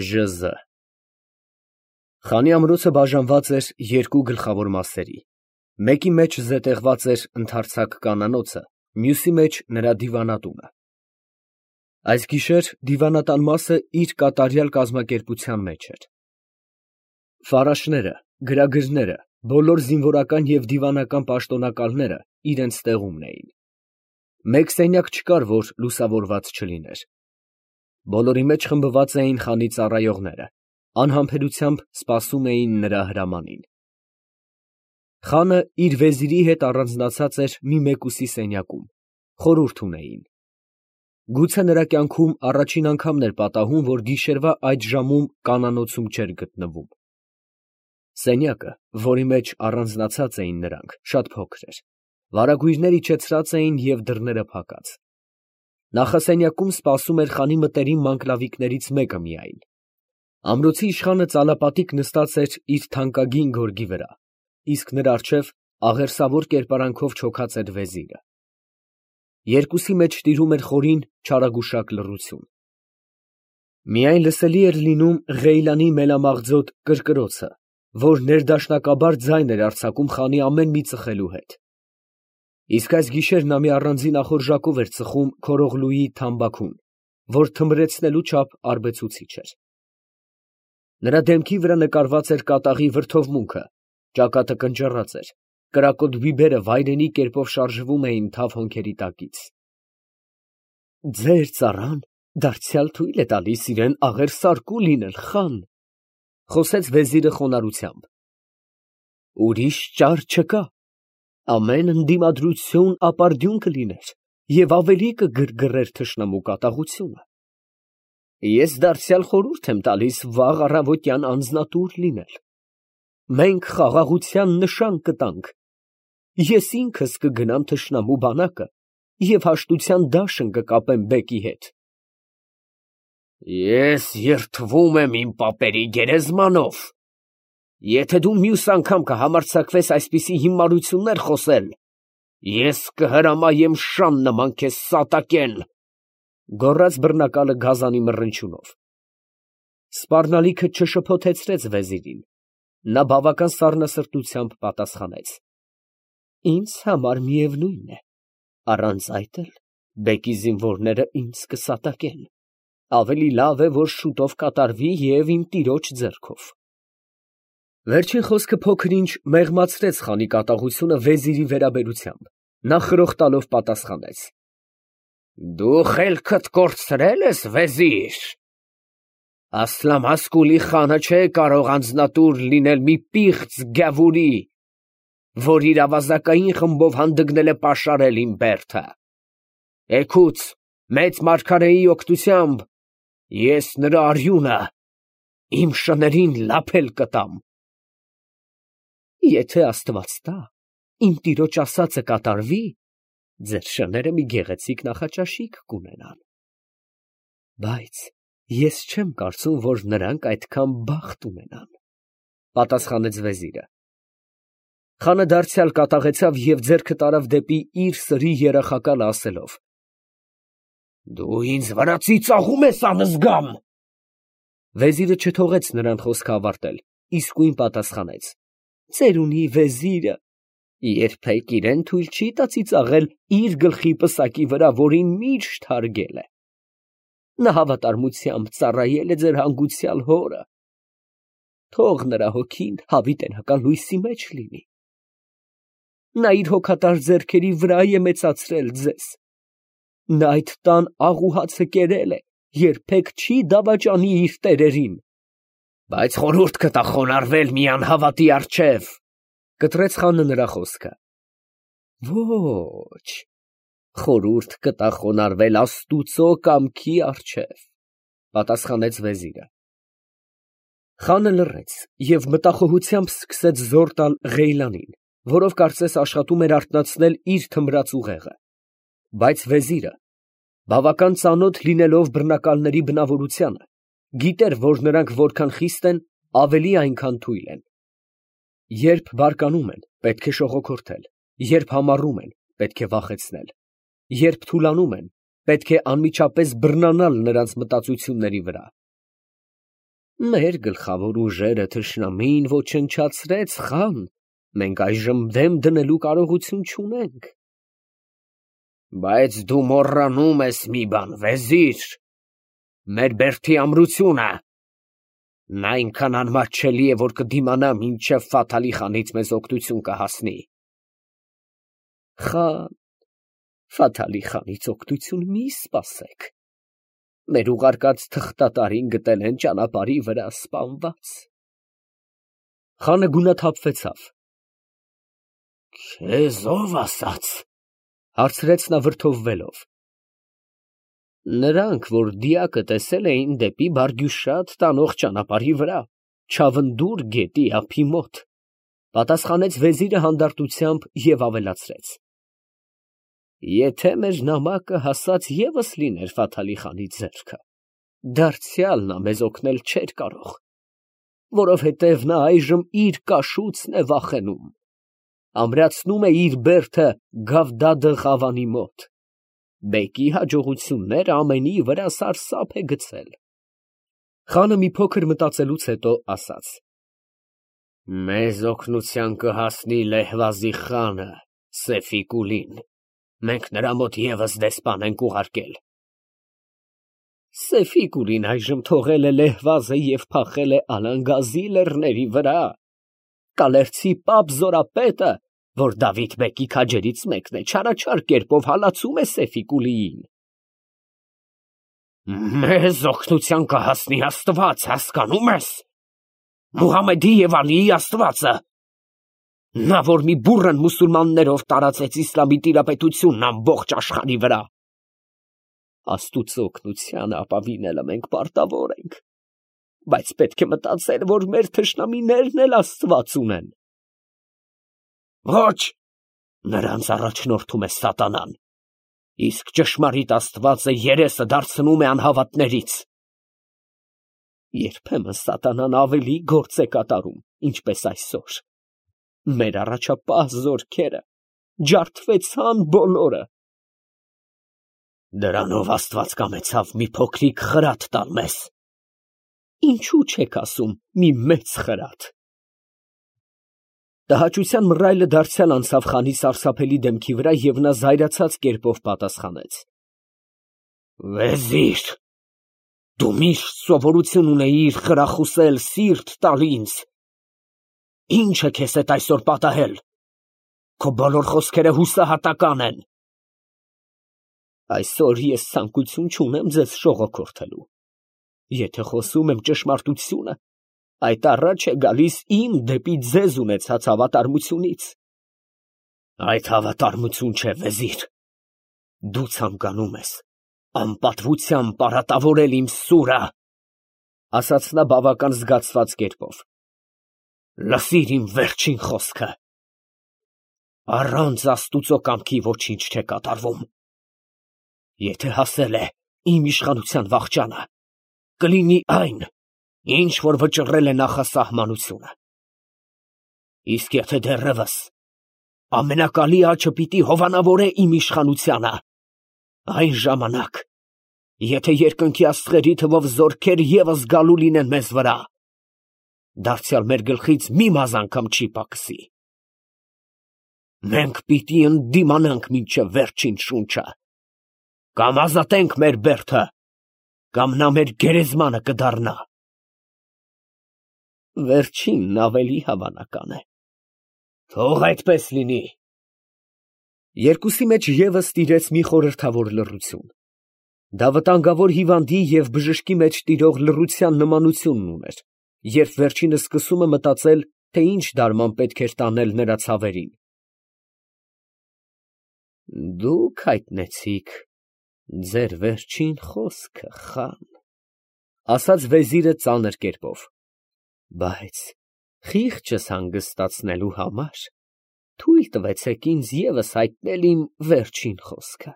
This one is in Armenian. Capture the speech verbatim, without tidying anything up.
Ժ Զ Խանի ամրոցը բաժանված էր երկու գլխավոր մասերի, մեկի մեջ զետեղված էր ընդարձակ կանանոցը, մյուսի մեջ նրա դիվանատունը։ Այս գիշեր դիվանատան մասը իր կատարյալ կազմակերպության մեջ էր։ Ֆարաշները, գրագրները, բոլոր զինվորական և դիվանական պաշտոնակալները իրենց տեղումն էին։ Մեկ սենյակ չկար, որ լուսավորված չլիներ։ Բոլորի մեջ խմբված էին խանի ծառայողները, անհամբերությամբ սպասում էին նրա հրամանին։ Խանը իր վեզիրի հետ առանձնացած էր մի մեկուսի սենյակում, խորհուրդ ունեին։ Գուցե նրա կյանքում առաջին անգամն էր պատահում, որ գիշերվա այդ ժամում կանանոցում չէր գտնվում։ Սենյակը, որի մեջ առանձնացած էին նրանք, շատ փոքր էր, վարագույրներ իջեցրած էին և դռները փակած։ Նախասենյակում սպասում էր խանի մտերիմ մանկլավիկներից մեկը միայն։ Ամրոցի իշխանը ծալապատիկ նստած էր իր թանկագին գորգի վրա, իսկ նրա առջև աղերսավոր կերպարանքով չոքած էր վեզիրը։ Երկուսի մեջ տիրում էր խորին, չարագուշակ լռություն։ Միայն լսելի էր լինում Ղեյլանի մելամաղձոտ կրկրոցը, որ ներդաշնակաբար ձայն էր արձակում խանի ամեն մի ծխելու հետ։ Իսկ այս գիշեր նա մի առանձին ախորժակով էր ծխում Քորողլուի թամբաքուն, որ թմրեցնելու չափ արբեցուցիչ էր։ Նրա դեմքի վրա նկարված էր կատաղի վրդովմունքը, ճակատը կնճռած էր, կրակոտ բիբերը վայրենի կերպով շարժվում էին թավ հոնքերի տակից։ Ձեր ծառան դարձյալ թույլ է տալիս իրան աղերսարկու լինել, խան, խոսեց վեզիրը խոնարհությամբ։ Ուրիշ ճար չկա, ամեն ընդդիմադրություն ապարդյուն կլիներ և ավելի կգրգռեր թշնամու կատաղությունը։ Ես դարձյալ խորհուրդ եմ տալիս վաղ առավոտյան անձնատուր լինել։ Մենք խաղաղության նշան կտանք։ Ես ինքս կգնամ թշնամու բանակը և հաշտության դաշն կկապեմ բեկի հետ։ Ես երդվում եմ իմ պապերի գերեզմանով։ Եթե դու մյուս անգամ կհամարձակվես այսպիսի հիմարություններ խոսել, ես կհրամայեմ շան նման քեզ սատակեն, գոռաց բռնակալը գազանի մռնչյունով։ Սպառնալիքը չշփոթեցրեց վեզիրին։ Նա բավական սառնասրտությամբ պատասխանեց. Ինձ համար միևնույն է, առանց այդ էլ բեկի զինվորները ինձ կսատակեն։ Ավելի լավ է, որ շուտով կատարվի և իմ տիրոջ ձեռքով։ Վերջին խոսքը փոքր-ինչ մեղմացրեց խանի կատաղությունը վեզիրի վերաբերությամբ, նա խրոխտալով պատասխանեց. Դու խելքդ կորցրել ես, վեզիր։ Ասլամասկուլի խանը չէ կարող անձնատուր լինել մի պիղծ գավուրի, որ իր ավազակային խմբով հանդգնել է պաշարել իմ բերդը։ Էգուց մեծ մարգարեի օգնությամբ ես նրա արյունը իմ շներին լափել կտամ։ Եթե Աստված տա, իմ տիրոջ ասածը կատարվի, ձեր շները մի գեղեցիկ նախաճաշիկ կունենան։ Բայց ես չեմ կարծում, որ նրանք այդքան բախտ ունենան, պատասխանեց վեզիրը։ Խանը դարձյալ կատաղեցավ և ձեռքը տարավ դեպի իր սրի երախակալը ասելով. Դու ինձ վրա ծիծաղում ես անզգամ։ Վեզիրը չթողեց նրան խոսքը ավարտել, իսկույն պատասխանեց. Ծերունի վեզիրը երբեք իրեն թույլ չի տա ծիծաղել իր գլխի պսակի վրա, որին միշտ հարգել է։ Նա հավատարմությամբ ծառայել է ձեր հանգուցյալ հորը։ Թող նրա հոգին հավիտենական լույսի մեջ լինի։ Նա իր հոգատար ձեռքերի վրա է մեծացրել ձեզ։ Նա այդ տան աղ ու հացը կերել է, երբեք չի դավաճանի իր տերերին։ Բայց խորհուրդ կտա խոնարհվել մի անհավատի առջև, կտրեց խանը նրա խոսքը։ Ոչ, խորհուրդ կտա խոնարհվել Աստուծո կամքի առջև, պատասխանեց վեզիրը։ Խանը լռեց և մտախոհությամբ սկսեց զոր տալ Ղեյլանին, որով կարծես աշխատում էր արթնացնել իր թմրած ուղեղը։ Բայց վեզիրը, բավական ծանոթ լինելով բռնակալների բնավորությանը, գիտեր, որ նրանք որքան խիստ են, ավելի այնքան թույլ են։ Երբ բարկանում են, պետք է շողոքորթել, երբ համառում են, պետք է վախեցնել, երբ թուլանում են, պետք է անմիջապես բռնանալ նրանց մտածությունների վրա։ Մեր գլխավոր ուժերը թշնամին ոչնչացրեց, խան, մենք այժմ դեմ դնելու կարողություն չունենք։ Բայց դու մոռանում ես մի բան, վեզիր, մեր Բերդի ամրությունը, նա այնքան անմատչելի է, որ կդիմանա մինչև Ֆաթալի խանից մեզ օգնություն կհասնի։ Խան, Ֆաթալի խանից օգնություն մի սպասեք, մեր ուղարկած թղթատարին գտել են ճանապարհի վրա սպանված։ Խանը գունաթափվեցավ։ Քեզ ով ասաց, հարցրեց նա վրդովվելով։ Նրանք, որ դիակը տեսել էին դեպի Բարգյուշատ տանող ճանապարհի վրա, Չավնդուր գետի ափի մոտ, պատասխանեց վեզիրը հանդարտությամբ և ավելացրեց. Եթե մեր նամակը հասած ևս լիներ Ֆաթալի խանի ձեռքը, դարձյալ նա մեզ օգնել չէր կարող, որովհետև նա այժմ իր կաշուծն է վախենում, ամրացնում է իր բերդը Գավդադը Ղավանի մոտ, բեկի հաջողությունները ամենի վրա սարսափ է գցել։ Խանը մի փոքր մտածելուց հետո ասաց. Մեզ օգնության կհասնի Լեհվազի խանը, Սեֆի Կուլին, մենք նրա մոտ ևս դեսպան ենք ուղարկել։ Սեֆի Կուլին այժմ թողել է Լեհվազը և փախել է Ալանգազի լեռների վրա, Կալերցի պապ զորապետը, որ Դավիթ բեկի քաջերից մեկն է, չարաչար կերպով հալածում է Սեֆի Կուլիին։ Մեզ օգնության կհասնի Աստված, հասկանում ես, Մուհամեդի և Ալիի Աստվածը, նա, որ մի բուռն մուսուլմաններով տարածեց իսլամի տիրապետությունն ամբողջ աշխարհի վրա։ Աստուծո օգնությանը ապավինելը մենք պարտավոր ենք, բայց պետք է մտածել, որ մեր թշնամիներն էլ Աստված ունեն։ Ոչ, նրանց առաջնորդում է սատանան, իսկ ճշմարիտ Աստվածը երեսը դարձնում է անհավատներից։ Երբեմն սատանան ավելի գործ է կատարում, ինչպես այսօր։ Մեր առաջապահ զորքերը ջարդվեցան բոլորը։ Դրանով Աստված կամեցավ մի փոքրիկ խրատ տալ մեզ։ Ինչու չեք ասում մի մեծ խրատ։ Տհաճության մռայլը դարձյալ անցավ խանի սարսափելի դեմքի վրա և նա զայրացած կերպով պատասխանեց. Վեզիր, դու միշտ սովորություն ունեիր խրախուսել, սիրտ տալ ինձ։ Ինչ է քեզ հետ այսօր պատահել։ Քո բոլոր խոսքերը հուսահատական են։ Այսօր ես ցանկություն չունեմ ձեզ շողոքորթելու։ Եթե խոսում եմ ճշմարտությունը, այդ առաջ է գալիս իմ դեպի ձեզ ունեցած հավատարմությունից։ Այդ հավատարմություն չէ, վեզիր։ Դու ցանկանում ես անպատվությամբ պարատավորել իմ սուրը, ասաց նա բավական զգացված կերպով։ Լսիր իմ վերջին խոսքը։ Առանց Աստուծո կամքի ոչինչ չէ կատարվում։ Եթե հասել է իմ իշխանության վախճանը, կլինի այն, ինչ որ վճռել է նախասահմանությունը։ Իսկ եթե դեռևս ամենակալի աճը պիտի հովանավորե իմ իշխանությանը, այն ժամանակ, եթե երկնքի աստղերի թվով զորքեր ևս գալու լինեն մեզ վրա, դարձյալ մեր գլխից մի մազան անգամ չի պակսի։ Մենք պիտի ընդդիմանանք մինչև վերջին շունչը, կամ ազատենք մեր բերդը, կամ նա մեր գերեզմանը կդառնա։ Վերջինն ավելի հավանական է։ Թող այդպես լինի։ Երկուսի մեջ ևս տիրեց մի խորհրդավոր լռություն։ Դա վտանգավոր հիվանդի և բժշկի մեջ տիրող լռության նմանությունն ուներ, երբ վերջինը սկսում է մտածել, թե ինչ դարման պետք էր տանել նրա ցավերին։ Դուք հայտնեցիք ձեր վերջին խոսքը, խան, ասաց վեզիրը ծանր կերպով, բայց խիղճս հանգստացնելու համար թույլ տվեցեք ինձ ևս հայտնել իմ վերջին խոսքը։